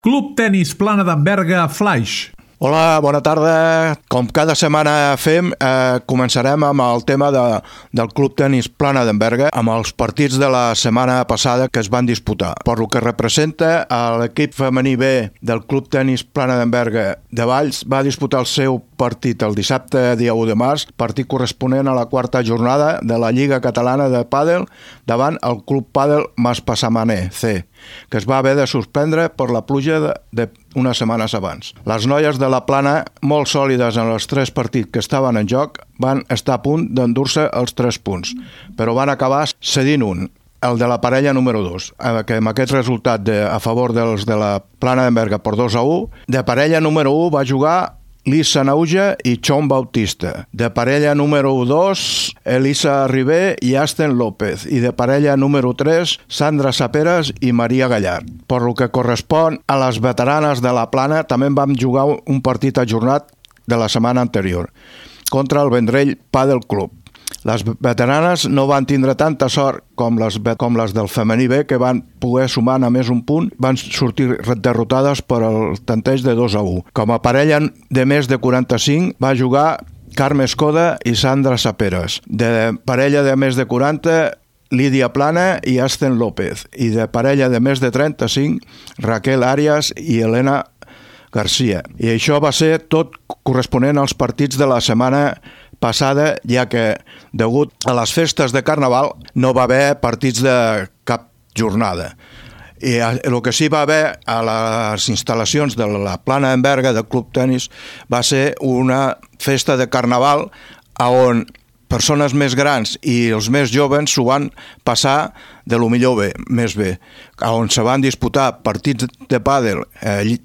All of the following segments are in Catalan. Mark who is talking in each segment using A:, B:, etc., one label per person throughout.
A: Club Tenis Plana d'en Flaix.
B: Hola, bona tarda. Com cada setmana fem, començarem amb el tema del Club Tenis Plana d'en amb els partits de la setmana passada que es van disputar. Per lo que representa, l'equip femení B del Club Tenis Plana d'en de Valls va disputar el seu partit el dissabte, dia 1 de març, partit corresponent a la quarta jornada de la Lliga Catalana de Pàdel davant el Club Pàdel Maspassamaner C, que es va haver de suspendre per la pluja unes setmanes abans. Les noies de la Plana, molt sòlides en els 3 partits que estaven en joc, van estar a punt d'endur-se els 3 punts, però van acabar cedint un, el de la parella número 2, que amb aquest resultat a favor dels de la Plana d'en per 2-1, de parella número 1 va jugar Lisa Nauja i Chon Bautista. De parella número 2, Elisa Ribé i Asten López. I de parella número 3, Sandra Saperas i Maria Gallard. Per lo que correspon a les veteranes de la Plana, també vam jugar un partit ajornat de la setmana anterior contra el Vendrell Padel Club. Les veteranes no van tindre tanta sort com les del femení B, que van poder sumar només un punt, van sortir derrotades per el tanteig de 2-1. Com a parella de més de 45 va jugar Carme Escoda i Sandra Saperas. De parella de més de 40, Lídia Plana i Asten López. I de parella de més de 35, Raquel Arias i Elena Garcia. I això va ser tot corresponent als partits de la setmana passada, ja que, degut a les festes de Carnaval, no va haver partits de cap jornada. I el que sí va haver a les instal·lacions de la Plana d'en del Club Tenis va ser una festa de Carnaval on persones més grans i els més joves s'ho van passar de lo millor bé, més bé, on se van disputar partits de pàdel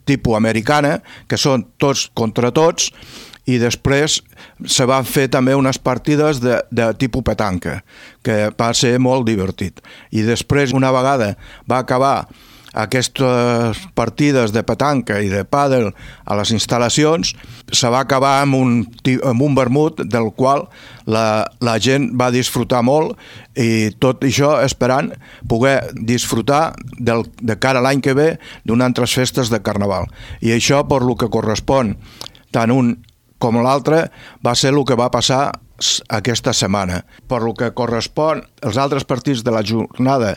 B: tipus americana, que són tots contra tots, i després se van fer també unes partides de tipus petanca, que va ser molt divertit. I després, una vegada va acabar aquestes partides de petanca i de pàdel a les instal·lacions, se va acabar amb un vermut del qual la gent va disfrutar molt, i tot això esperant poder disfrutar de cara a l'any que ve d'unes altres festes de Carnaval. I això, per lo que correspon tant un com l'altre, va ser el que va passar aquesta setmana. Per lo que correspon als altres partits de la jornada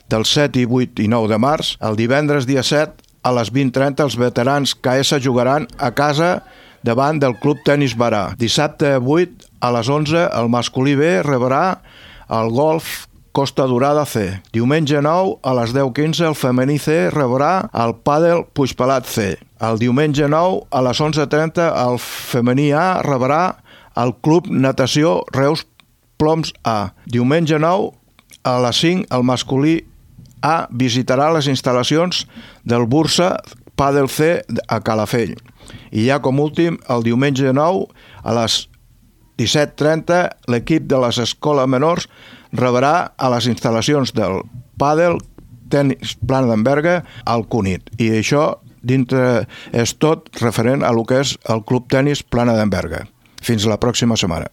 B: del 7, i 8 i 9 de març, el divendres dia 7, a les 20:30, els veterans KS jugaran a casa davant del Club Tenis Barà. Dissabte 8, a les 11, el masculí B rebrà el Golf Costa Dorada C. Diumenge 9, a les 10:15, el femení C rebrà el Pàdel Puigpelat C. El diumenge 9, a les 11:30, el femení A rebrà el Club Natació Reus Ploms A. Diumenge 9, a les 5, el masculí A visitarà les instal·lacions del Bursa Pàdel C a Calafell. I ja com últim, el diumenge 9, a les 17:30, l'equip de les escoles menors rebrà a les instal·lacions del Pàdel Tenis Plana d'en al Cunit. I això dintre és tot referent a lo que és el Club Tenis Plana d'en Fins la pròxima setmana.